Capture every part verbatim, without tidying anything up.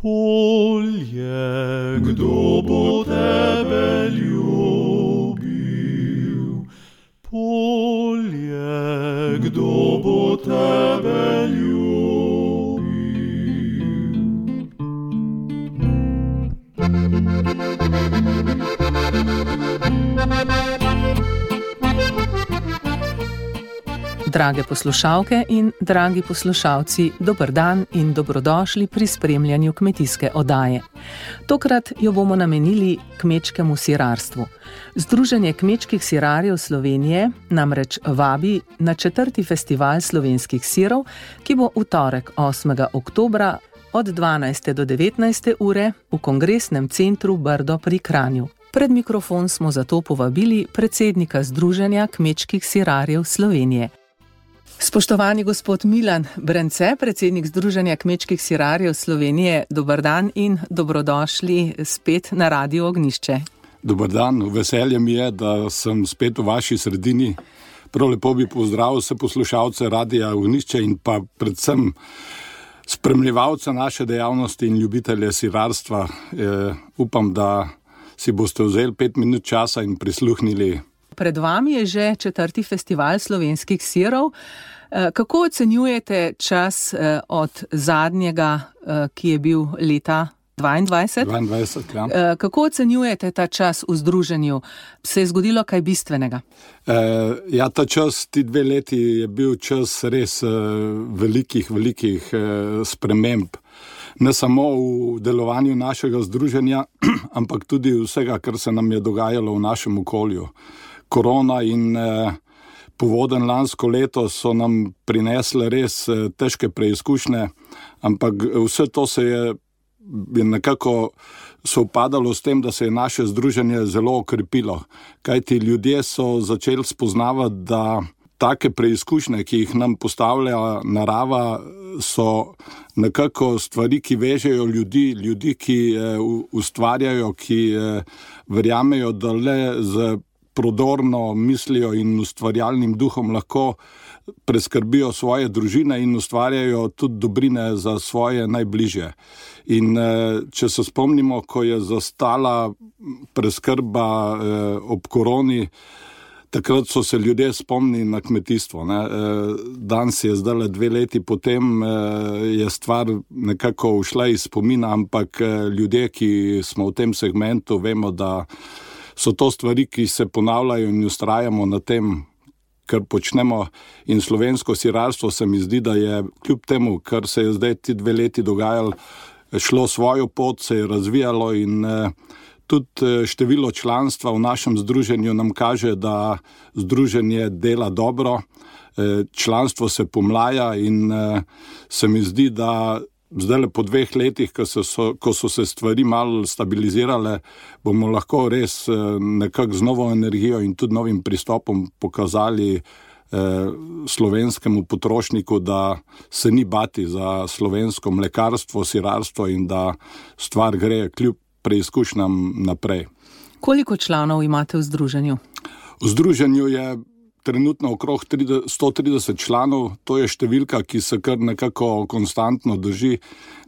Polje, kdo bo tebe ljubil? Polje, kdo bo tebe ljubil? Drage poslušalke in dragi poslušalci, dober dan in dobrodošli pri spremljanju kmetijske oddaje. Tokrat jo bomo namenili kmečkemu sirarstvu. Združenje kmečkih sirarjev Slovenije namreč vabi na četrti festival slovenskih sirov, ki bo v torek osmega oktobra od dvanajste do devetnajste ure v Kongresnem centru Brdo pri Kranju. Pred mikrofon smo zato povabili predsednika Združenja kmečkih sirarjev Slovenije. Spoštovani gospod Milan Brence, predsednik Združenja kmečkih sirarjev Slovenije, dober dan in dobrodošli spet na Radio Ognjišče. Dober dan, veselje mi je, da sem spet v vaši sredini. Prav lepo bi pozdravil vse poslušalce Radia Ognjišče in pa predvsem spremljevalce naše dejavnosti in ljubitelje sirarstva. E, upam, da si boste vzeli pet minut časa in prisluhnili. Pred vami je že četrti festival slovenskih sirov. Kako ocenjujete čas od zadnjega, ki je bil leta dvaindvajset? dvaindvajset, ja. Kako ocenjujete ta čas v združenju? Se je zgodilo kaj bistvenega? E, ja, ta čas, ti dve leti je bil čas res velikih, velikih sprememb. Ne samo v delovanju našega združenja, ampak tudi vsega, kar se nam je dogajalo v našem okolju. Korona in eh, povoden lansko leto so nam prinesle res eh, težke preizkušnje, ampak vse to se je, je nekako sovpadalo s tem, da se je naše združenje zelo okrepilo. Kajti ljudje so začeli spoznavati, da take preizkušnje, ki jih nam postavlja narava, so nekako stvari, ki vežejo ljudi, ljudi, ki eh, ustvarjajo, ki eh, verjamejo, da le z prodorno mislijo in ustvarjalnim duhom lahko preskrbijo svoje družine in ustvarjajo tudi dobrine za svoje najbližje. In eh, če se spomnimo, ko je zastala preskrba eh, ob koroni, takrat so se ljudje spomnili na kmetijstvo. Ne. Danes je zdaj dve leti potem, je stvar nekako ušla iz spomina, ampak ljudje, ki smo v tem segmentu, vemo, da so to stvari, ki se ponavljajo in ustrajamo na tem, kar počnemo. In slovensko sirarstvo se mi zdi, da je kljub temu, kar se je zdaj ti dve leti dogajalo, šlo svojo pot, se je razvijalo in tudi število članstva v našem združenju nam kaže, da združenje dela dobro, članstvo se pomlaja in se mi zdi, da zdaj po dveh letih, ko so, ko so se stvari malo stabilizirale, bomo lahko res nekako z novo energijo in tudi novim pristopom pokazali slovenskemu potrošniku, da se ni bati za slovensko mlekarstvo, sirarstvo in da stvar gre kljub preizkušnjam naprej. Koliko članov imate v združenju? V združenju je trenutno okrog sto trideset članov, to je številka, ki se kar nekako konstantno drži.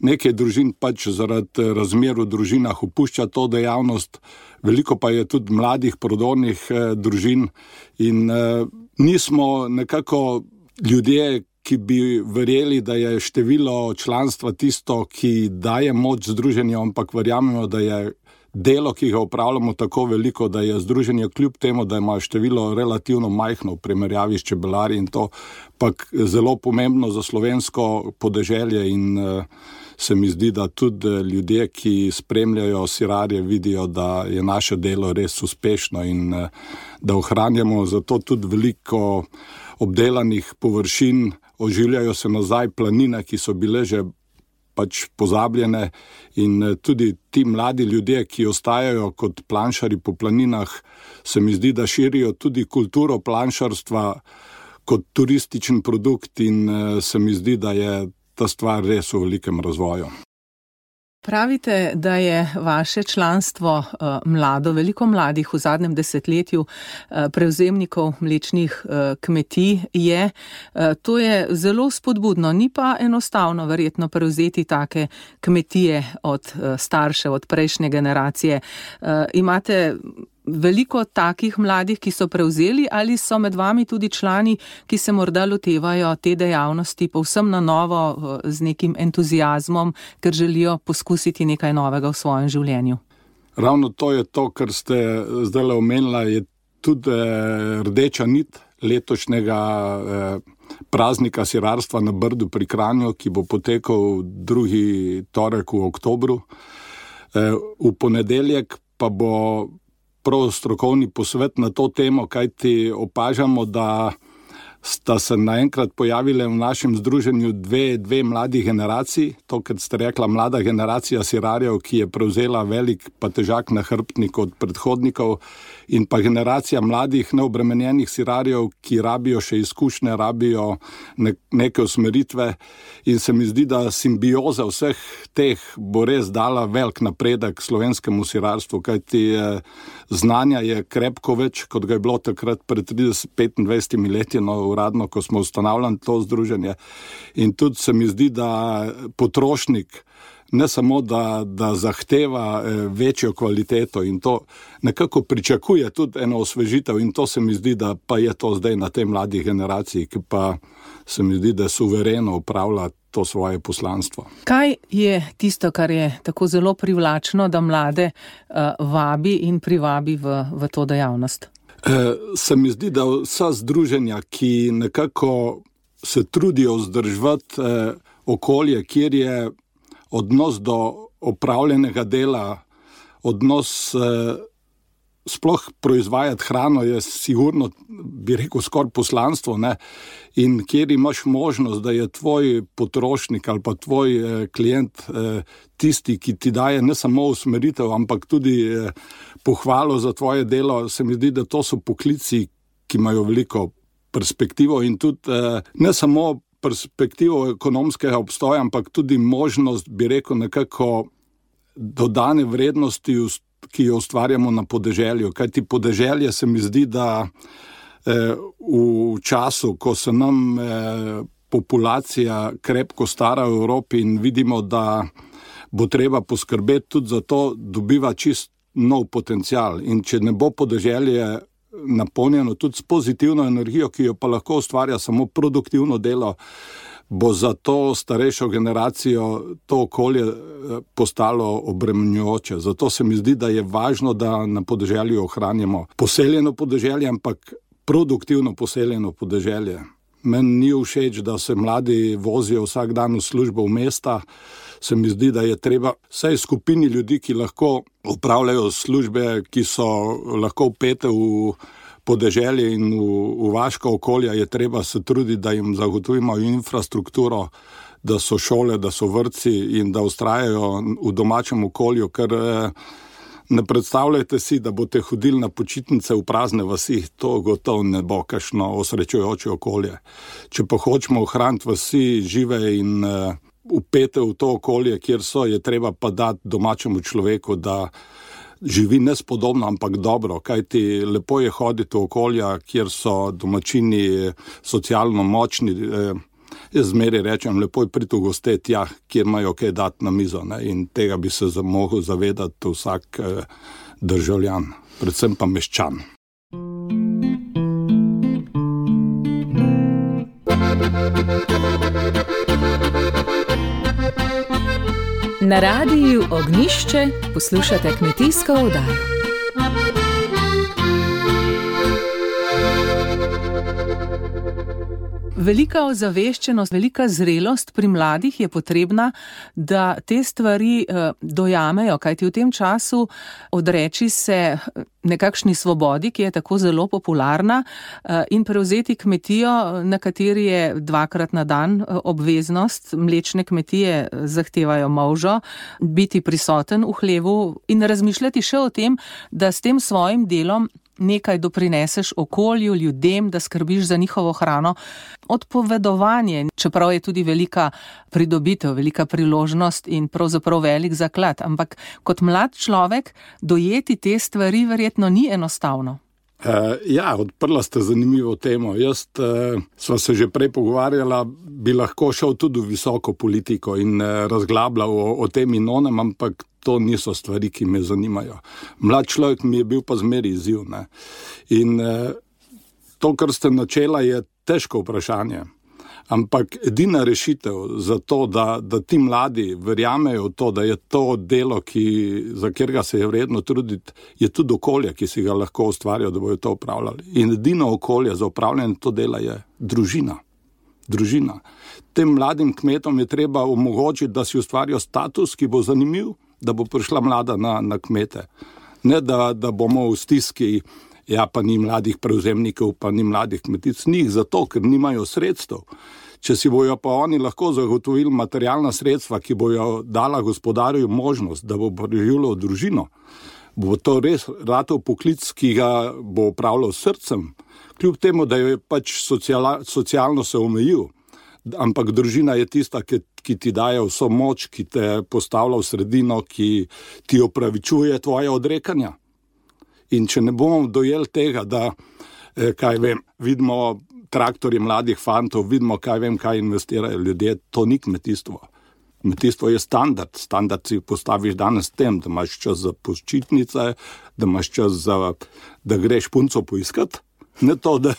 Nekaj družin pač zaradi razmer v družinah opušča to dejavnost, veliko pa je tudi mladih prodornih eh, družin in eh, nismo nekako ljudje, ki bi verjeli, da je število članstva tisto, ki daje moč združenju, ampak verjamemo, da je delo, ki ga upravljamo, tako veliko, da je združenje kljub temu, da ima število relativno majhno v primerjavi s čebelarji in to, pa zelo pomembno za slovensko podeželje in uh, se mi zdi, da tudi ljudje, ki spremljajo sirarje, vidijo, da je naše delo res uspešno in uh, da ohranjamo zato tudi veliko obdelanih površin, oživljajo se nazaj planine, ki so bile že pač pozabljene in tudi ti mladi ljudje, ki ostajajo kot planšari po planinah, se mi zdi, da širijo tudi kulturo planšarstva kot turističen produkt in se mi zdi, da je ta stvar res v velikem razvoju. Pravite, da je vaše članstvo uh, mlado, veliko mladih v zadnjem desetletju uh, prevzemnikov mlečnih uh, kmetij je. Uh, to je zelo spodbudno, ni pa enostavno verjetno prevzeti take kmetije od uh, staršev, od prejšnje generacije. Uh, imate veliko takih mladih, ki so prevzeli, ali so med vami tudi člani, ki se morda lotevajo te dejavnosti povsem na novo z nekim entuziazmom, ker želijo poskusiti nekaj novega v svojem življenju? Ravno to je to, kar ste zdaj omenila, je tudi eh, rdeča nit letošnjega eh, praznika sirarstva na Brdu pri Kranju, ki bo potekal drugi torek v oktobru. Eh, v ponedeljek pa bo prav strokovni posvet na to temo, kajti opažamo, da sta se naenkrat pojavile v našem združenju dve, dve mladi generaciji. To, kar ste rekla, mlada generacija sirarjev, ki je prevzela velik pa težak nahrbtnik od predhodnikov, in pa generacija mladih neobremenjenih sirarjev, ki rabijo še izkušnje, rabijo ne, neke usmeritve, in se mi zdi, da simbioza vseh teh bo res dala velik napredek slovenskemu sirarstvu, kajti znanja je krepko več, kot ga je bilo takrat pred trideset petindvajsetimi leti, no, uradno, ko smo ustanavljali to združenje. In tudi se mi zdi, da potrošnik ne samo, da, da zahteva večjo kvaliteto in to nekako pričakuje tudi eno osvežitev, in to se mi zdi, da pa je to zdaj na tej mladih generaciji, ki pa se mi zdi, da suvereno upravlja to svoje poslanstvo. Kaj je tisto, kar je tako zelo privlačno, da mlade uh, vabi in privabi v, v to dejavnost? Se mi zdi, da vsa združenja, ki nekako se trudijo vzdrževati eh, okolje, kjer je odnos do opravljenega dela, odnos eh, sploh proizvajati hrano je sigurno, bi rekel, skoraj poslanstvo, ne? In kjer imaš možnost, da je tvoj potrošnik ali pa tvoj eh, klient eh, tisti, ki ti daje ne samo usmeritev, ampak tudi eh, pohvalo za tvoje delo, se mi zdi, da to so poklici, ki imajo veliko perspektivo in tudi eh, ne samo perspektivo ekonomskega obstoja, ampak tudi možnost, bi rekel, nekako dodane vrednosti, ki jo ustvarjamo na podeželju. Kajti podeželje se mi zdi, da eh, v času, ko se nam eh, populacija krepko stara v Evropi in vidimo, da bo treba poskrbeti tudi za to, dobiva čist nov potencial. In če ne bo podeželje napolnjeno tudi s pozitivno energijo, ki jo pa lahko ustvarja samo produktivno delo, bo za to starejšo generacijo to okolje postalo obremenjujoče. Zato se mi zdi, da je važno, da na podeželju ohranjamo poseljeno podeželje, ampak produktivno poseljeno podeželje. Meni ni všeč, da se mladi vozijo vsak dan v službo v mesta. Se mi zdi, da je treba vsaj skupini ljudi, ki lahko opravljajo službe, ki so lahko vpete v podeželje in v, v vaška okolja, je treba se truditi, da jim zagotovimo infrastrukturo, da so šole, da so vrtci in da ustrajajo v domačem okolju, ker ne predstavljajte si, da boste hodili na počitnice v prazne vasi, to gotovo ne bo kakšno osrečujoče okolje. Če pa hočemo ohraniti vasi žive in upete v to okolje, kjer so, je treba pa dati domačemu človeku, da živi nespodobno, ampak dobro, kajti lepo je hoditi v okolja, kjer so domačini socialno močni. Jaz zmeraj rečem, lepo je priti v goste tja, kjer imajo kaj dati na mizo, ne? In tega bi se mogel zavedati vsak državljan, predvsem pa meščan. Na radiju Ognjišče poslušate kmetijsko oddajo. Velika ozaveščenost, velika zrelost pri mladih je potrebna, da te stvari eh, dojamejo, kajti v tem času odreči se nekakšni svobodi, ki je tako zelo popularna, eh, in prevzeti kmetijo, na kateri je dvakrat na dan obveznost. Mlečne kmetije zahtevajo molžo, biti prisoten v hlevu in razmišljati še o tem, da s tem svojim delom nekaj doprineseš okolju, ljudem, da skrbiš za njihovo hrano. Odpovedovanje, čeprav je tudi velika pridobitev, velika priložnost in pravzaprav velik zaklad, ampak kot mlad človek dojeti te stvari verjetno ni enostavno. Uh, ja, odprla ste zanimivo temo. Jaz uh, sva se že prej pogovarjala, bi lahko šel tudi v visoko politiko in uh, razglabljal o, o tem in onem, ampak to niso stvari, ki me zanimajo. Mlad človek mi je bil pa zmeri izziv. Ne? In uh, to, kar ste načela, je težko vprašanje. Ampak edina rešitev za to, da, da ti mladi verjamejo v to, da je to delo, ki, za katerega se je vredno truditi, je tudi okolje, ki si ga lahko ustvarijo, da bojo to upravljali. In edino okolje za upravljanje to dela je družina. Družina. Tem mladim kmetom je treba omogočiti, da si ustvarijo status, ki bo zanimiv, da bo prišla mlada na, na kmete. Ne, da, da bomo v stiski, ja, pa ni mladih prevzemnikov, pa ni mladih kmetic, njih zato, ker nimajo sredstev. Če si bojo pa oni lahko zagotovili materialna sredstva, ki bojo dala gospodarju možnost, da bo preživljal družino, bo to res ratov poklic, ki ga bo upravljal s srcem, kljub temu, da je pač sociala, socialno se omejil. Ampak družina je tista, ki, ki ti daje vso moč, ki te postavlja v sredino, ki ti opravičuje tvoje odrekanja. In če ne bomo dojeli tega, da, eh, kaj vem, vidimo traktorje mladih fantov, vidimo, kaj vem, kaj investirajo ljudje, to ni kmetijstvo. Kmetijstvo je standard. Standard si postaviš danes tem, da imaš čas za počitnice, da imaš čas za, da greš punco poiskat. Ne to, da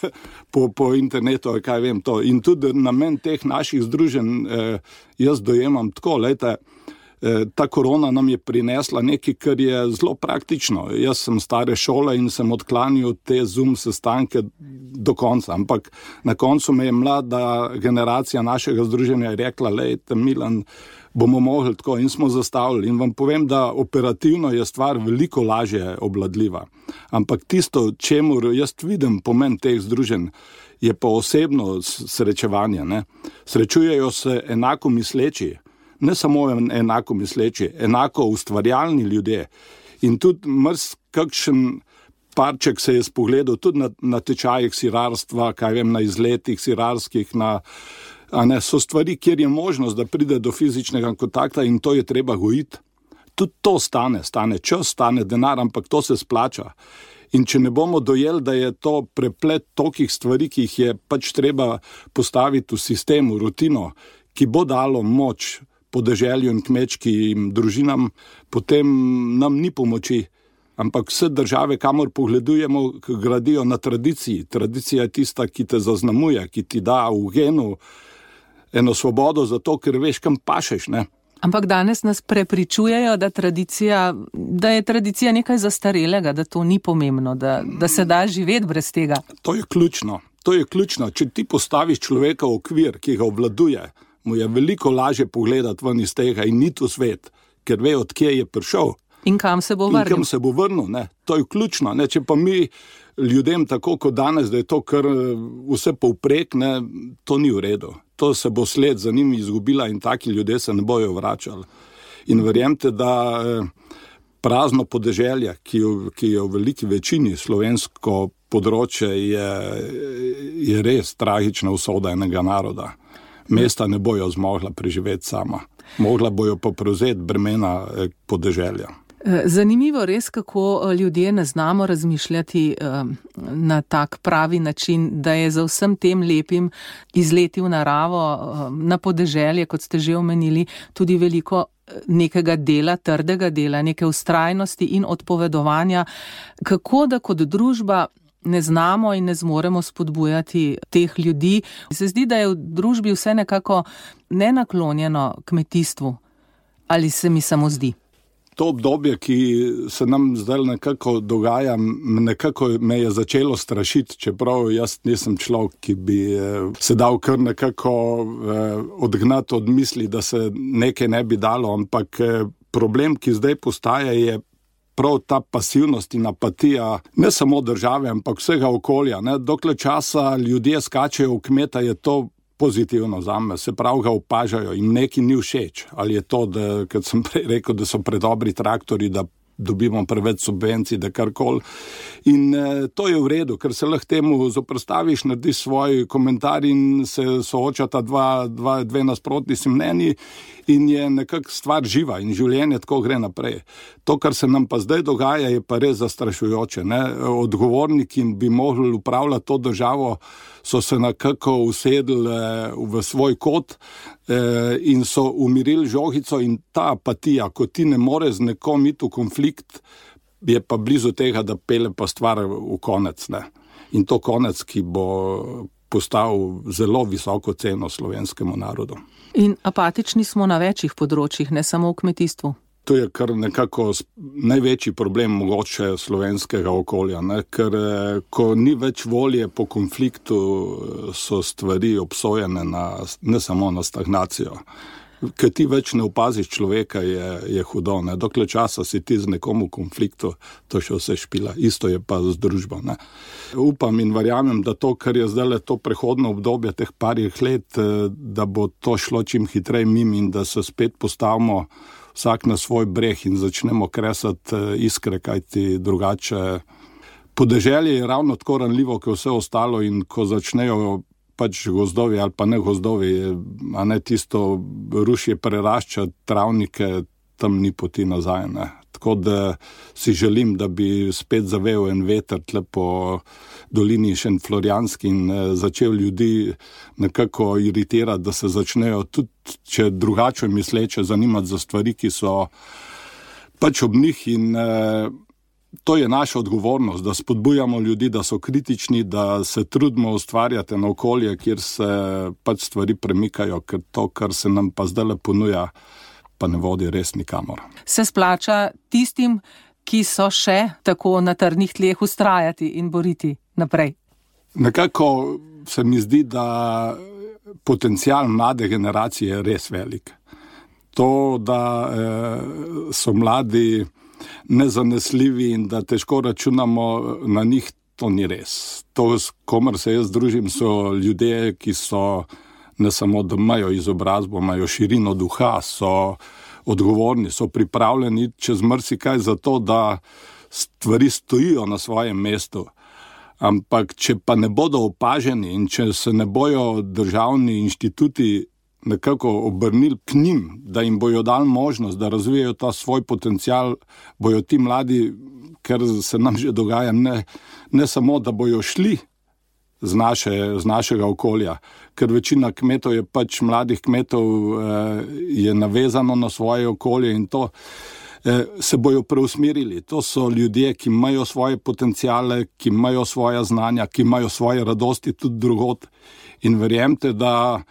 po, po internetu, kaj vem to. In tudi namen teh naših združenj eh, jaz dojemam tako, lejte, ta korona nam je prinesla nekaj, kar je zelo praktično. Jaz sem stare šole in sem odklanil te Zoom sestanke do konca, ampak na koncu me je mlada generacija našega združenja rekla, lejte, Milan, bomo mogli tako, in smo zastavili. In vam povem, da operativno je stvar veliko lažje obvladljiva. Ampak tisto, čemu jaz vidim pomen teh združenj, je pa osebno srečevanje. Ne? Srečujejo se enako misleči, ne samo enako misleči, enako ustvarjalni ljudje. In tudi mrs kakšen parček se je spogledal tudi na, na tečajih sirarstva, kaj vem, na izletih sirarskih, na, a ne, so stvari, kjer je možnost, da pride do fizičnega kontakta in to je treba gojiti. Tudi to stane, stane čas, stane denar, ampak to se splača. In če ne bomo dojeli, da je to preplet tolikih stvari, ki jih je pač treba postaviti v sistemu, rutino, ki bo dalo moč podeželju in kmečkim družinam, potem nam ni pomoči. Ampak vse države, kamor pogledujemo, gradijo na tradiciji. Tradicija je tista, ki te zaznamuje, ki ti da v genu eno svobodo zato, ker veš, kam pašeš, ne? Ampak danes nas prepričujejo, da, tradicija, da je tradicija nekaj zastarelega, da to ni pomembno, da, da se da živeti brez tega. To je ključno. To je ključno. Če ti postaviš človeka v okvir, ki ga obvladuje, mu je veliko lažje pogledati ven iz tega in niti v svet, ker ve, od kje je prišel. In kam se bo vrnil. In kam se bo vrnil, ne. To je ključno, ne. Če pa mi ljudem tako kot danes, da je to kar vse povprek, ne, to ni v redu. To se bo sled za njimi izgubila in taki ljudje se ne bojo vračali. In verjemte, da prazno podeželje, ki je, ki je v veliki večini slovensko področje, je, je res tragična usoda enega naroda. Mesta ne bojo zmogla preživeti sama. Mogla bojo pa prevzeti bremena podeželja. Zanimivo res, kako ljudje ne znamo razmišljati na tak pravi način, da je za vsem tem lepim izleti v naravo, na podeželje, kot ste že omenili, tudi veliko nekega dela, trdega dela, neke vztrajnosti in odpovedovanja. Kako da kot družba ne znamo in ne zmoremo spodbujati teh ljudi. Se zdi, da je v družbi vse nekako nenaklonjeno kmetijstvu. Ali se mi samo zdi? To obdobje, ki se nam zdaj nekako dogaja, nekako me je začelo strašiti, čeprav jaz nisem človek, ki bi se dal kar nekako odgnati od misli, da se nekaj ne bi dalo, ampak problem, ki zdaj postaja, je prav ta pasivnost in apatija, ne samo države, ampak vsega okolja. Ne? Dokler časa ljudje skačejo v kmeta, je to pozitivno zame, se prav ga opažajo in neki ni všeč. Ali je to, da, kad sem prej rekel, da so predobri traktori, da dobimo preveč subvencij, da karkoli. In eh, to je v redu, ker se lahko temu zoprstaviš, narediš svoj komentar in se soočata dva, dva, dve nasprotni si mnenji in je nekako stvar živa in življenje tako gre naprej. To, kar se nam pa zdaj dogaja, je pa res zastrašujoče. Ne? Odgovorni, ki bi mogli upravljati to državo, so se nekako usedli v svoj kot in so umirili žogico in ta apatija, ko ti ne more z nekom iti v konflikt, je pa blizu tega, da pele pa stvar v konec. Ne? In to konec, ki bo postavil zelo visoko ceno slovenskemu narodu. In apatični smo na večjih področjih, ne samo v kmetijstvu. To je kar nekako največji problem mogoče slovenskega okolja, ne? Ker ko ni več volje po konfliktu, so stvari obsojene na, ne samo na stagnacijo. Ker ti več ne opaziš človeka, je, je hudo. Ne? Dokler časa si ti z nekom v konfliktu, to še vse špila. Isto je pa z družbo. Ne? Upam in verjamem, da to, kar je zdaj to prehodno obdobje teh parih let, da bo to šlo čim hitrej mimo in da se spet postavimo vsak na svoj breh in začnemo kresati iskre, kajti drugače. Podeželje je ravno tako ranljivo, kot vse ostalo in ko začnejo pač gozdovi ali pa ne gozdovi, a ne tisto rušje prerašča travnike, tam ni poti nazaj. Ne. Tako da si želim, da bi spet zavel en veter tle po dolini Šentflorjanski in začel ljudi nekako iritirati, da se začnejo tudi, če drugače misleče, zanimati za stvari, ki so pač ob njih in eh, to je naša odgovornost, da spodbujamo ljudi, da so kritični, da se trudimo ustvarjati na okolje, kjer se pač stvari premikajo, ker to, kar se nam pa zdaj ponuja, pa ne vodi res nikamor. Se splača tistim, ki so še tako na trdnih tleh ustrajati in boriti naprej? Nekako se mi zdi, da potencial mlade generacije je res velik. To, da eh, so mladi nezanesljivi in da težko računamo na njih, to ni res. To, s komer se jaz družim, so ljudje, ki so ne samo, da imajo izobrazbo, imajo širino duha, so odgovorni, so pripravljeni čez marsikaj za to, da stvari stojijo na svojem mestu. Ampak če pa ne bodo opaženi in če se ne bojo državni inštituti nekako obrnili k njim, da jim bojo dali možnost, da razvijajo ta svoj potencial, bojo ti mladi, ker se nam že dogaja, ne, ne samo, da bojo šli z, naše, z našega okolja, ker večina kmetov je pač mladih kmetov eh, je navezano na svoje okolje in to eh, se bojo preusmerili. To so ljudje, ki imajo svoje potenciale, ki imajo svoja znanja, ki imajo svoje radosti tudi drugod in verjemte, da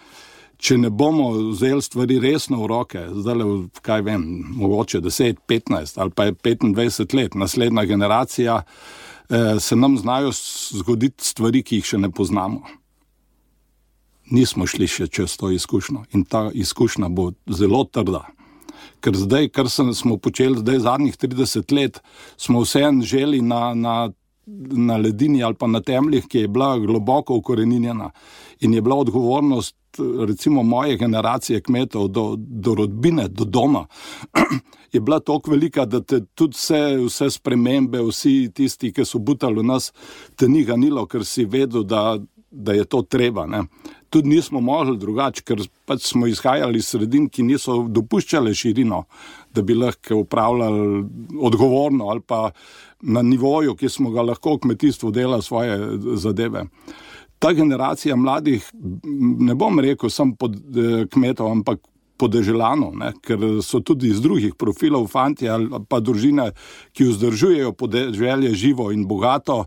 če ne bomo vzeli stvari resno v roke, zdaj, kaj vem, mogoče deset, petnajst ali pa je petindvajset let, naslednja generacija, eh, se nam znajo zgoditi stvari, ki jih še ne poznamo. Nismo šli še čez to izkušnjo in ta izkušnja bo zelo trda. Ker zdaj, kar smo počeli zdaj zadnjih trideset let, smo vseeno želi na, na, na ledini ali pa na temeljih, ki je bila globoko ukoreninjena in je bila odgovornost recimo moje generacije kmetov do, do rodbine, do doma, je bila toliko velika, da te tudi vse, vse spremembe, vsi tisti, ki so butali v nas, te ni ganilo, ker si vedel, da, da je to treba. Ne. Tudi nismo mogli drugače, ker pač smo izhajali iz sredin, ki niso dopuščale širino, da bi lahko upravljali odgovorno ali pa na nivoju, ki smo ga lahko v kmetijstvu delali svoje zadeve. Ta generacija mladih, ne bom rekel sam pod eh, kmetov, ampak podeželanov, ne, ker so tudi iz drugih profilov fantje ali pa družine, ki vzdržujejo podeželje živo in bogato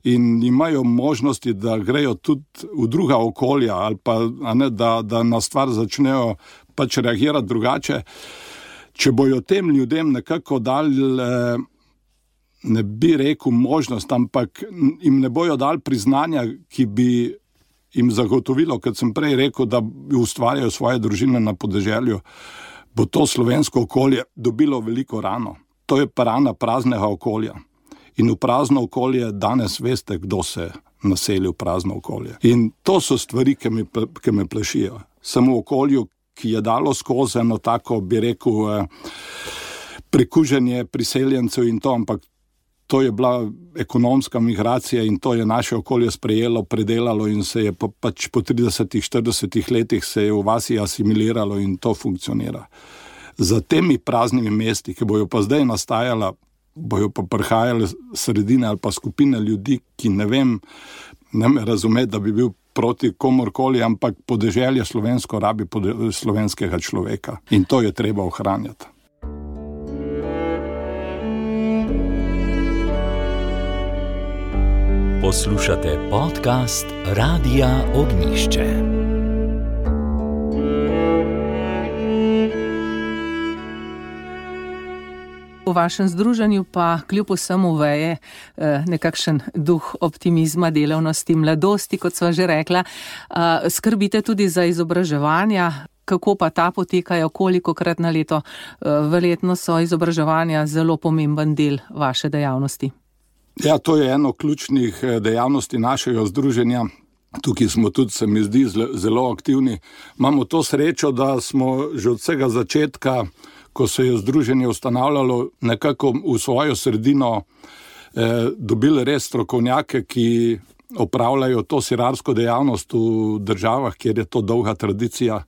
in imajo možnosti, da grejo tudi v druga okolja ali pa a ne, da, da na stvar začnejo pač reagirati drugače. Če bojo tem ljudem nekako dali, eh, ne bi rekel možnost, ampak jim ne bojo dali priznanja, ki bi jim zagotovilo, kot sem prej rekel, da ustvarjajo svoje družine na podeželju, bo to slovensko okolje dobilo veliko rano. To je pa rana praznega okolja. In v prazno okolje danes veste, kdo se naseli v prazno okolje. In to so stvari, ki me, ki me plašijo. Samo v okolju, ki je dalo skozi eno tako, bi rekel, prekuženje priseljencev in to, ampak to je bila ekonomska migracija in to je naše okolje sprejelo, predelalo in se je pa, pač po tridesetih, štiridesetih letih se je v vasi asimiliralo in to funkcionira. Za temi praznimi mesti, ki bojo pa zdaj nastajala, bojo pa prihajale sredine ali pa skupine ljudi, ki ne vem, ne me razumeti, da bi bil proti komorkoli, ampak podeželje slovensko rabi pode- slovenskega človeka in to je treba ohranjati. Poslušate podcast Radia Ognišče. V vašem združenju pa kljub vsemu veje nekakšen duh optimizma, delavnosti, mladosti, kot sva že rekla. Skrbite tudi za izobraževanja. Kako pa ta potekajo, kolikokrat na leto? Verjetno so izobraževanja zelo pomemben del vaše dejavnosti. Ja, to je eno ključnih dejavnosti našega združenja. Tukaj smo tudi, se mi zdi, zelo aktivni. Imamo to srečo, da smo že od vsega začetka, ko se je združenje ustanavljalo, nekako v svojo sredino eh, dobili res strokovnjake, ki opravljajo to sirarsko dejavnost v državah, kjer je to dolga tradicija.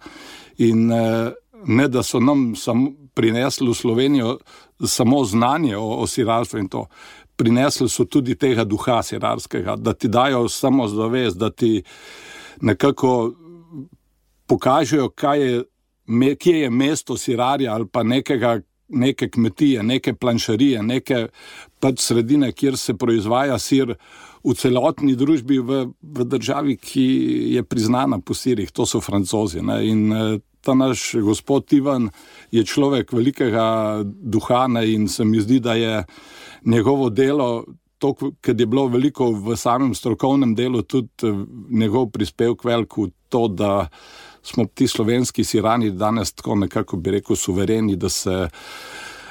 In eh, ne, da so nam sam prinesli v Slovenijo samo znanje o, o sirarstvu in to, prinesli so tudi tega duha sirarskega, da ti dajo samozavest, da ti nekako pokažejo, kaj je, me, kje je mesto sirarja ali pa nekega, neke kmetije, neke planšarije, neke pač sredine, kjer se proizvaja sir v celotni družbi v, v državi, ki je priznana po sirih, to so Francozi. Ne? In ta naš gospod Ivan je človek velikega duha, ne? In se mi zdi, da je njegovo delo, to, ker je bilo veliko v samem strokovnem delu, tudi njegov prispevek velik v to, da smo ti slovenski sirani danes tako nekako bi rekel suvereni, da se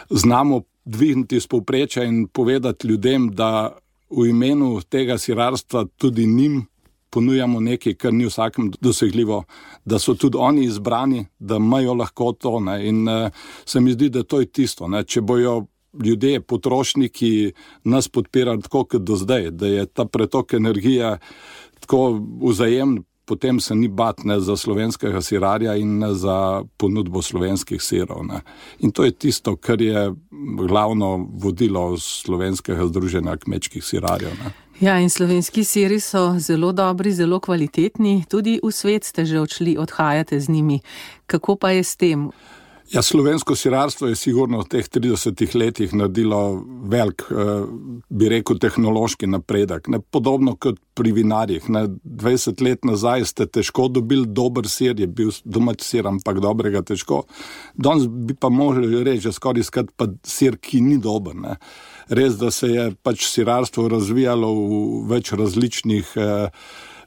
znamo dvigniti z povprečja in povedati ljudem, da v imenu tega sirarstva tudi njim ponujamo nekaj, kar ni vsakem dosegljivo, da so tudi oni izbrani, da imajo lahko to. Ne? In uh, se mi zdi, da to je tisto. Ne? Če bojo ljudje, potrošniki nas podpirali tako kot do zdaj, da je ta pretok energije tako vzajemen, potem se ni bat ne za slovenskega sirarja in ne za ponudbo slovenskih sirov. Ne. In to je tisto, kar je glavno vodilo slovenskega združenja kmečkih sirarjev. Ne. Ja, in slovenski siri so zelo dobri, zelo kvalitetni. Tudi v svet ste že odšli, odhajate z njimi. Kako pa je s tem? Ja, slovensko sirarstvo je sigurno v teh tridesetih letih naredilo velik, bi rekel, tehnološki napredek. Ne, podobno kot pri vinarjih. Ne, dvajset let nazaj ste težko dobili dober sir, je bil domač sir, ampak dobrega težko. Danes bi pa mogli reči, skoraj iskati pa sir, ki ni dober. Ne. Res, da se je pač sirarstvo razvijalo v več različnih eh,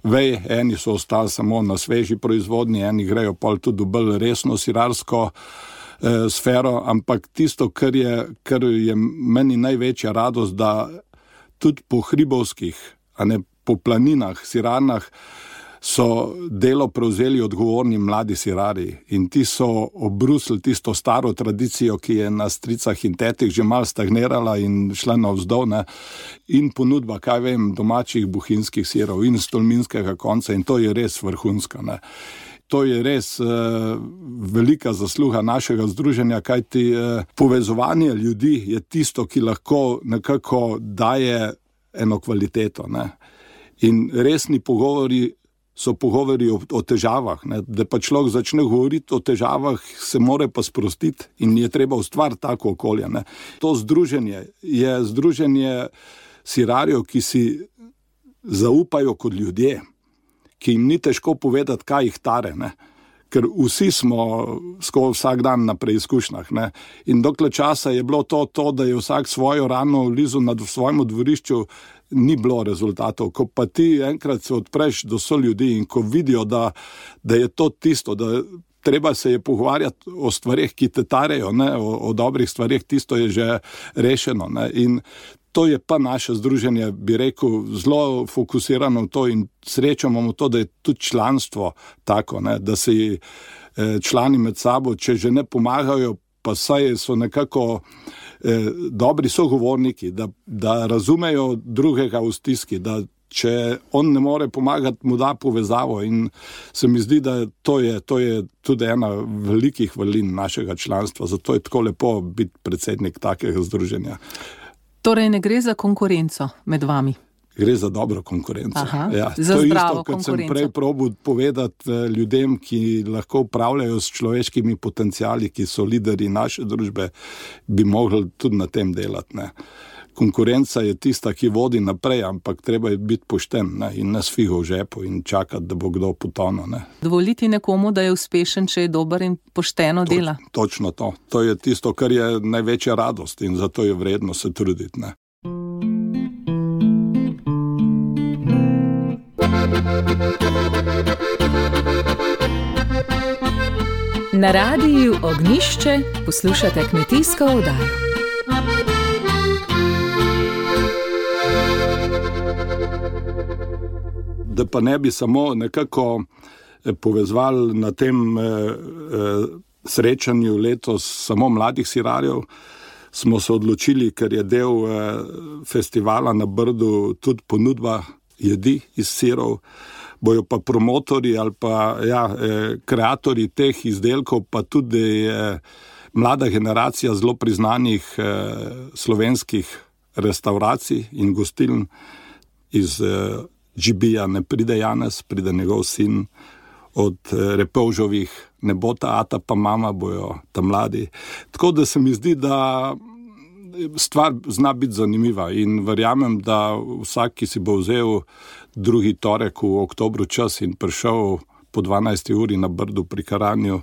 vej, eni so ostali samo na sveži proizvodnji, eni grejo pol tudi v bolj resno sirarsko eh, sfero, ampak tisto, kar je, kar je meni največja radost, da tudi po hribovskih, a ne po planinah, sirarnah, so delo prevzeli odgovorni mladi sirari in ti so obrusili tisto staro tradicijo, ki je na stricah in tetih že malo stagnirala in šla navzdol, ne, in ponudba, kaj vem, domačih bohinjskih sirov in stolminskega konca in to je res vrhunska. Ne. To je res uh, velika zasluga našega združenja, kajti uh, povezovanje ljudi je tisto, ki lahko nekako daje eno kvaliteto. Ne. In resni pogovori so pogovori o, o težavah, ne? Da pa človek začne govoriti o težavah, se mora pa sprostiti in je treba ustvariti tako okolje. Ne? To združenje je združenje sirarjev, ki si zaupajo kot ljudje, ki jim ni težko povedati, kaj jih tare, ne? Ker vsi smo skoro vsak dan na preizkušnjah. Ne? In dokler časa je bilo to, to, da je vsak svojo rano vlizal na svojem dvorišču, ni bilo rezultatov. Ko pa ti enkrat se odpreš do so ljudi in ko vidijo, da, da je to tisto, da treba se je pogovarjati o stvarih, ki te tarejo, ne? O, o dobrih stvarih, tisto je že rešeno. Ne? In to je pa naše združenje, bi rekel, zelo fokusirano v to in srečamo v to, da je tudi članstvo tako, ne? Da si člani med sabo, če že ne pomagajo pa saj so nekako eh, dobri sogovorniki, da, da razumejo drugega v stiski, da če on ne more pomagati, mu da povezavo, in se mi zdi, da to je, to je tudi ena velikih valin našega članstva, zato je tako lepo biti predsednik takega združenja. Torej ne gre za konkurenco med vami? Gre za dobro konkurenco. Aha, ja, za to je zdravo isto, kot sem konkurenco. prej probal povedati ljudem, ki lahko upravljajo s človeškimi potenciali, ki so lideri naše družbe, bi mogli tudi na tem delati. Ne. Konkurenca je tista, ki vodi naprej, ampak treba je biti pošten, ne, in ne s figo v žepu in čakati, da bo kdo potonil. Ne. Dovoliti nekomu, da je uspešen, če je dober in pošteno Toč, dela. Točno to. To je tisto, kar je največja radost, in zato je vredno se truditi. Ne. Na radiju Ognjišče poslušate kmetijsko oddajo. Da pa ne bi samo nekako povezvali na tem eh, eh, srečanju letos samo mladih sirarjev, smo se odločili, ker je del eh, festivala na Brdu tudi ponudba jedi iz sirov, bojo pa promotori ali pa ja, eh, kreatorji teh izdelkov, pa tudi eh, mlada generacija zelo priznanih eh, slovenskih restauracij in gostiln iz eh, G B-ja ne pride Janez, pride njegov sin, od Repovžovih ne bo ta ata pa mama, bojo ta mladi. Tako da se mi zdi, da stvar zna biti zanimiva in verjamem, da vsak, ki si bo vzel drugi torek v oktobru čas in prišel po dvanajsti uri na Brdu pri Karanju,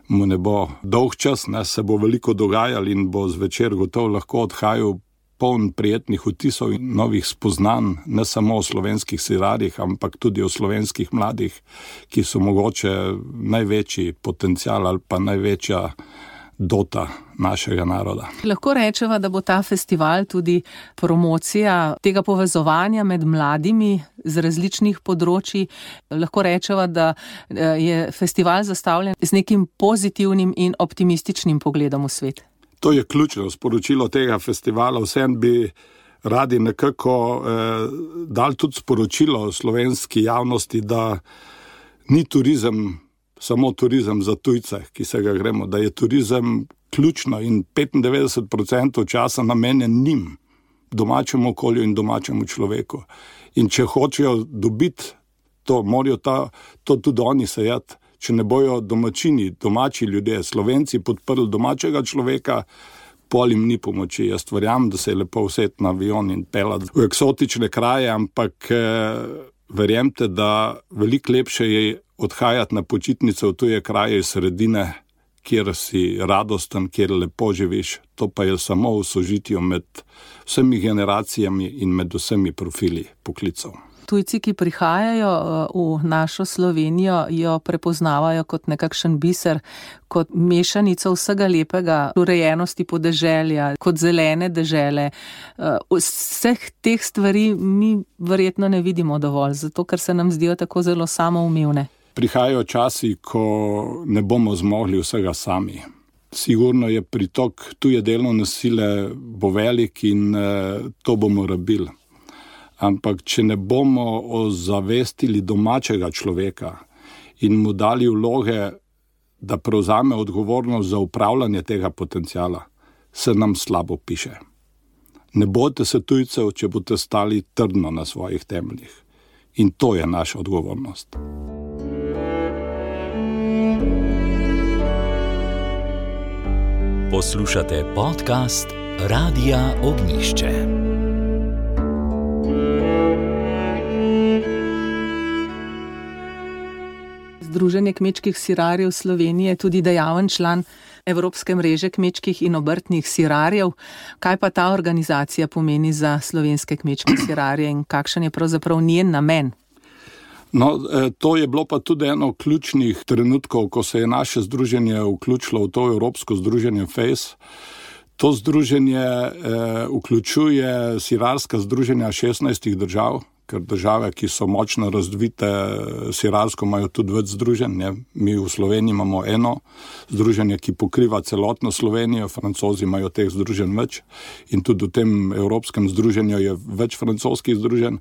mu ne bo dolg čas, ne, se bo veliko dogajal in bo zvečer gotovo lahko odhajal poln prijetnih vtisov in novih spoznanj, ne samo o slovenskih sirarjih, ampak tudi o slovenskih mladih, ki so mogoče največji potencial ali pa največja dota našega naroda. Lahko rečeva, da bo ta festival tudi promocija tega povezovanja med mladimi z različnih področji. Lahko rečeva, da je festival zastavljen z nekim pozitivnim in optimističnim pogledom v svet. To je ključno sporočilo tega festivala. Vsem bi radi nekako eh, dali tudi sporočilo slovenski javnosti, da ni turizem samo turizem za tujce, ki se ga gremo, da je turizem ključno in petindevetdeset procentov časa namenjen njim, domačemu okolju in domačemu človeku. In če hočejo dobiti to, morajo ta, to tudi oni sejati. Če ne bojo domačini, domači ljudje, Slovenci podprli domačega človeka, pol jim ni pomoči. Jaz verjamem, da se je lepo usesti na avion in pelati v eksotične kraje, ampak eh, verjemte, da veliko lepše je odhajati na počitnice v tuje kraje iz sredine, kjer si radosten, kjer lepo živiš. To pa je samo v sožitju med vsemi generacijami in med vsemi profili poklicov. Tujci, ki prihajajo v našo Slovenijo, jo prepoznavajo kot nekakšen biser, kot mešanico vsega lepega, urejenosti podeželja, kot zelene dežele. Vseh teh stvari mi verjetno ne vidimo dovolj, zato ker se nam zdijo tako zelo samoumevne. Prihajajo časi, ko ne bomo zmogli vsega sami. Sigurno je pritok tuje delovne sile bo velik in to bomo rabili. Ampak če ne bomo ozavestili domačega človeka in mu dali vloge, da prevzame odgovornost za upravljanje tega potenciala, se nam slabo piše. Ne bojte se tujcev, če boste stali trdno na svojih temeljih. In to je naša odgovornost. Poslušate podcast Radija Ognjišče. Združenje kmečkih sirarjev Slovenije je tudi dejaven član Evropske mreže kmečkih in obrtnih sirarjev. Kaj pa ta organizacija pomeni za slovenske kmečke sirarje in kakšen je pravzaprav njen namen? No, to je bilo pa tudi eno ključnih trenutkov, ko se je naše združenje vključilo v to Evropsko združenje F A C E. To združenje eh, vključuje sirarska združenja šestnajstih držav, ker države, ki so močno razvite sirarsko, imajo tudi več združenj. Ne? Mi v Sloveniji imamo eno združenje, ki pokriva celotno Slovenijo, Francozi imajo teh združenj več in tudi v tem evropskem združenju je več francoskih združenj.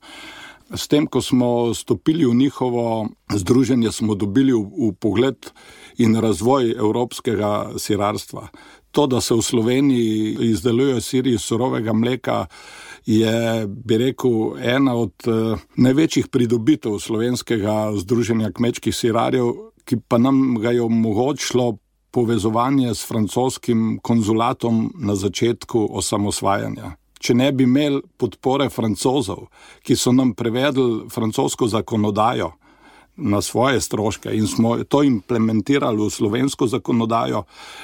S tem, ko smo stopili v njihovo združenje, smo dobili v, v pogled in razvoj evropskega sirarstva. To, da se v Sloveniji izdelujejo siri iz surovega mleka, je, bi rekel, ena od uh, največjih pridobitev slovenskega združenja kmečkih sirarjev, ki pa nam ga je omogočilo povezovanje s francoskim konzulatom na začetku osamosvajanja. Če ne bi imeli podpore Francozov, ki so nam prevedli francosko zakonodajo na svoje stroške in smo to implementirali v slovensko zakonodajo,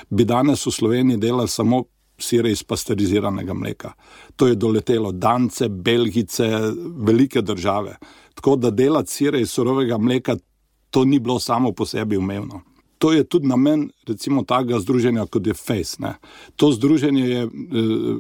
bi danes v Sloveniji delali samo sire iz pasteriziranega mleka. To je doletelo Dance, Belgice, velike države. Tako da delati sire iz surovega mleka, to ni bilo samo po sebi umevno. To je tudi namen, recimo, takega združenja, kot je Fejs. Ne. To združenje je e,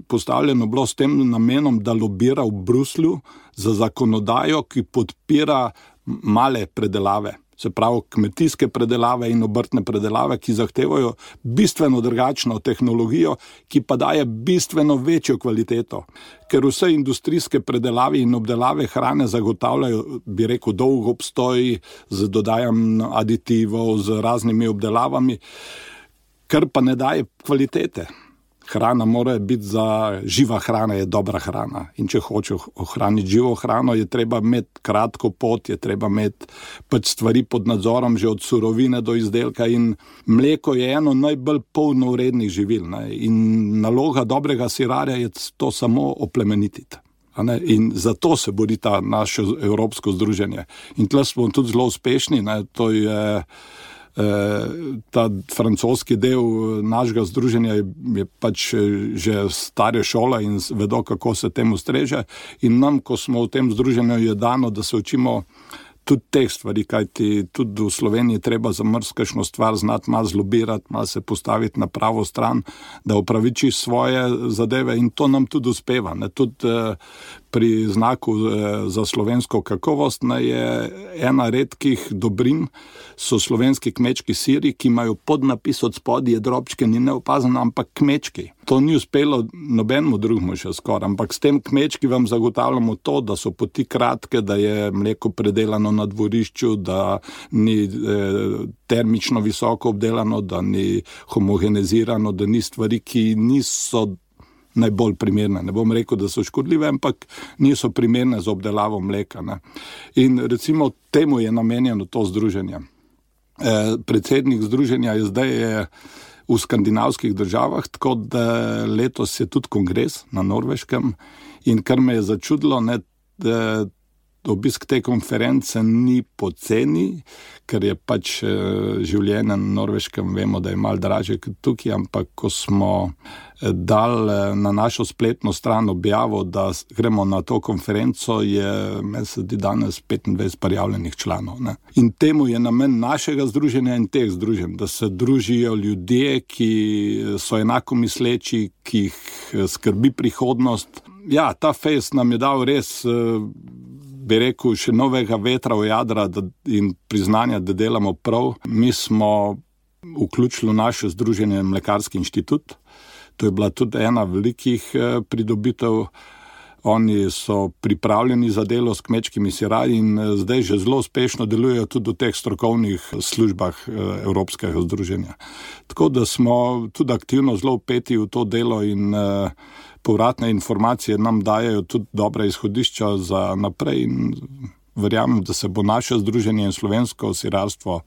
postavljeno bilo s tem namenom, da lobira v Bruslju za zakonodajo, ki podpira male predelave. Se pravi, kmetijske predelave in obrtne predelave, ki zahtevajo bistveno drugačno tehnologijo, ki pa daje bistveno večjo kvaliteto. Ker vse industrijske predelave in obdelave hrane zagotavljajo, bi rekel, dolg obstoj z dodajanjem aditivov, z raznimi obdelavami, kar pa ne daje kvalitete. Hrana mora biti za živa hrana, je dobra hrana. In če hoče ohraniti živo hrano, je treba imeti kratko pot, je treba imeti pač stvari pod nadzorom, že od surovine do izdelka. In mleko je eno najbolj polnovrednih živil. Ne? In naloga dobrega sirarja je to samo oplemenititi. In zato se bori ta naše evropsko združenje. In tle smo tudi zelo uspešni. Ne? To je ta francoski del našega združenja je, je pač že stare šole in vedo, kako se temu streže. In nam, ko smo v tem združenju, je dano, da se učimo tudi teh stvari, kajti tudi v Sloveniji treba za marsikajšno stvar znati malo zlobirati, malo se postaviti na pravo stran, da upravičiš svoje zadeve in to nam tudi uspeva. Ne? Tudi eh, pri znaku eh, za slovensko kakovost ne, je ena redkih dobrin, so slovenski kmečki siri, ki imajo podnapis od spodaj, je drobčken in neopazen, ampak kmečki. To ni uspelo nobenemu drugemu še skoraj, ampak s tem kmečki vam zagotavljamo to, da so poti kratke, da je mleko predelano na dvorišču, da ni eh, termično visoko obdelano, da ni homogenizirano, da ni stvari, ki niso najbolj primerne. Ne bom rekel, da so škodljive, ampak niso primerne za obdelavo mleka. Ne. In recimo temu je namenjeno to združenje. Eh, predsednik združenja je zdaj je v skandinavskih državah, tako da letos je tudi kongres na Norveškem in kar me je začudilo, ne, da obisk te konference ni poceni, ker je pač življenje na Norveškem, vemo, da je malo dražje kot tukaj, ampak ko smo dali na našo spletno stran objavo, da gremo na to konferenco, je mesec danes petindvajset prijavljenih članov. Ne. In temu je namen našega združenja in teh združenj, da se družijo ljudje, ki so enako misleči, ki jih skrbi prihodnost. Ja, ta Fejs nam je dal res, bi rekel, še novega vetra v jadra da, in priznanja, da delamo prav. Mi smo vključili v naše združenje Mlekarski inštitut. To je bila tudi ena velikih eh, pridobitev. Oni so pripravljeni za delo s kmečkimi sirarji in eh, zdaj že zelo uspešno delujejo tudi v teh strokovnih službah eh, Evropskega združenja. Tako da smo tudi aktivno zelo vpeti v to delo in eh, povratne informacije nam dajajo tudi dobre izhodišča za naprej in verjamem, da se bo naše združenje in slovensko sirarstvo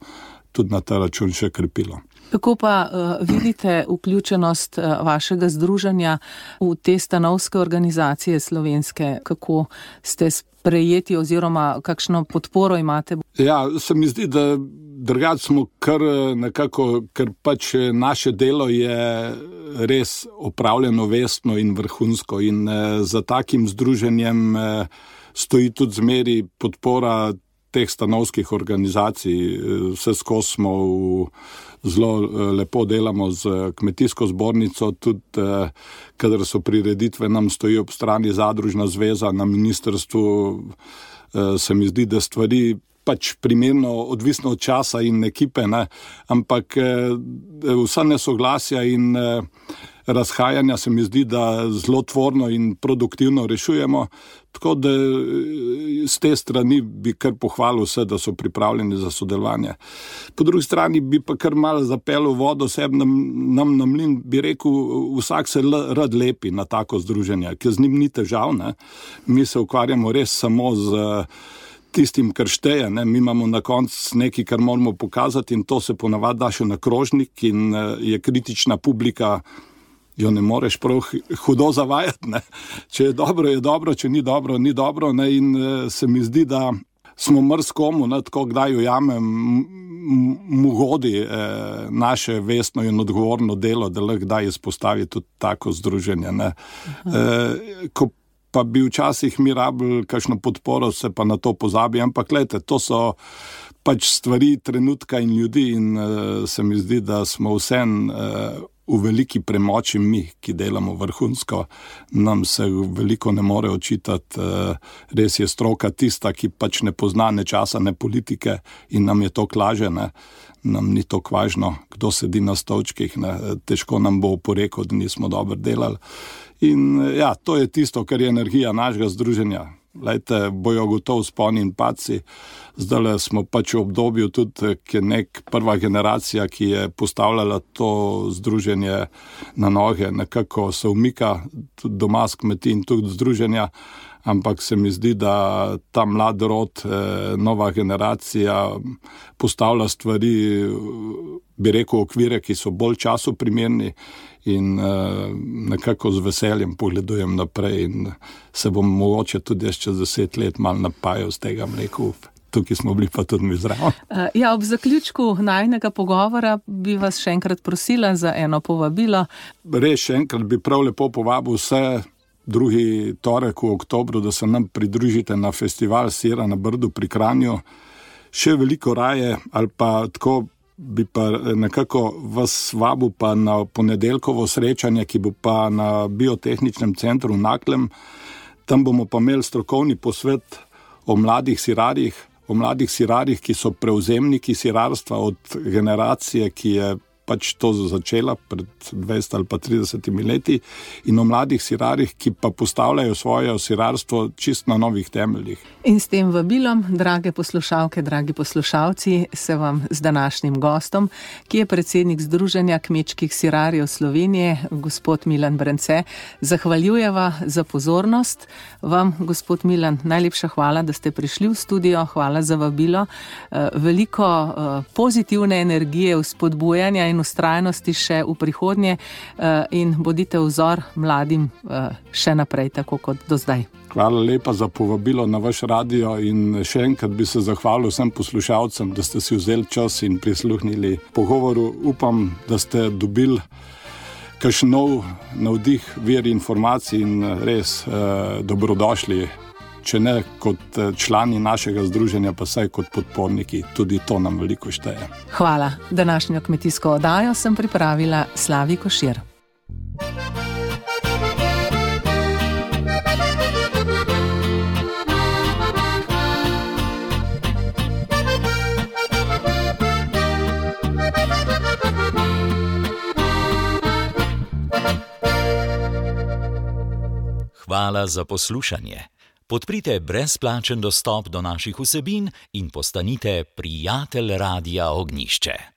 tudi na ta račun še krepilo. Kako pa uh, vidite vključenost uh, vašega združenja v te stanovske organizacije slovenske? Kako ste sprejeti oziroma kakšno podporo imate? Ja, se mi zdi, da drugače smo kar nekako, ker pač naše delo je res opravljeno vestno in vrhunsko in eh, za takim združenjem eh, stoji tudi zmeri podpora teh stanovskih organizacij. Vse skozi smo v, zelo lepo delamo z kmetijsko zbornico, tudi eh, kadar so prireditve, nam stoji ob strani zadružna zveza na ministrstvu. se mi zdi, da stvari pač primerno, odvisno od časa in ekipe, ne? Ampak vsa nesoglasja in razhajanja se mi zdi, da zelo tvorno in produktivno rešujemo, tako da z te strani bi kar pohvalil vse, da so pripravljeni za sodelovanje. Po drugi strani bi pa kar malo zapeljal vodo sebi nam, nam na mlin, bi rekel, vsak se l- rad lepi na tako združenje, ker z njim ni težav, ne? Mi se ukvarjamo res samo z tistim, kar šteje, ne? Mi imamo na koncu nekaj, kar moramo pokazati in to se ponavadi da še na krožnik in je kritična publika, jo ne moreš prav hudo zavajati, ne. Če je dobro, je dobro, če ni dobro, ni dobro, ne, in se mi zdi, da smo mrskomu, ne, tako kdaj ujamem, mu godi eh, naše vestno in odgovorno delo, da lahko kdaj izpostavi tudi tako združenje, ne. Eh, ko pa bi včasih mi rabili kakšno podporo, se pa na to pozabi, ampak gledajte, to so pač stvari trenutka in ljudi in eh, se mi zdi, da smo vsem eh, v veliki premoči mi, ki delamo vrhunsko, nam se veliko ne more očitati, res je stroka tista, ki pač ne pozna ne časa, ne politike in nam je to klaže, ne. Nam ni to važno, kdo sedi na stolčkih, ne. Težko nam bo oporekal, da nismo dobro delali. In ja, to je tisto, kar je energija našega združenja. Lejte, bojo gotovo sponi in padci. Zdaj smo pač v obdobju tudi, ki je nek prva generacija, ki je postavljala to združenje na noge, nekako se umika tudi doma s kmetij in tudi združenja, ampak se mi zdi, da ta mlad rod, nova generacija postavlja stvari, bi rekel, okvire, ki so bolj času primerni in nekako z veseljem pogledujem naprej in se bom mogoče tudi jaz čez deset let malo napajal z tega mleku. Tukaj smo bili pa tudi mi zraven. Ja, ob zaključku najnega pogovora bi vas še enkrat prosila za eno povabilo. Res še enkrat bi prav lepo povabil vse drugi torek v oktobru, da se nam pridružite na festival Sira na Brdu pri Kranju. Še veliko raje ali pa tako bi pa nekako vas vabil pa na ponedeljkovo srečanje, ki bo pa na Biotehničnem centru v Naklem. Tam bomo pa imeli strokovni posvet o mladih sirarjih, o mladih sirarjih, ki so prevzemniki sirarstva od generacije, ki je pač to začela pred dvajsetimi ali pa tridesetimi leti, in o mladih sirarjih, ki pa postavljajo svoje sirarstvo čist na novih temeljih. In s tem vabilom, drage poslušalke, dragi poslušalci, se vam z današnjim gostom, ki je predsednik Združenja kmečkih sirarjev Slovenije, gospod Milan Brence, zahvaljujeva za pozornost. Vam, gospod Milan, najlepša hvala, da ste prišli v studio, hvala za vabilo. Veliko pozitivne energije, vzpodbujanja in ustrajnosti še v prihodnje in bodite vzor mladim še naprej, tako kot do zdaj. Hvala lepa za povabilo na vaš radio in še enkrat bi se zahvalil vsem poslušalcem, da ste si vzeli čas in prisluhnili pogovoru. Upam, da ste dobili kakšen nov navdih, vir informacij in res eh, dobrodošli, če ne kot člani našega združenja, pa saj kot podporniki. Tudi to nam veliko šteje. Hvala. Današnjo kmetijsko oddajo sem pripravila Slavi Košir. Hvala za poslušanje. Podprite brezplačen dostop do naših vsebin in postanite prijatelj Radia Ognjišče.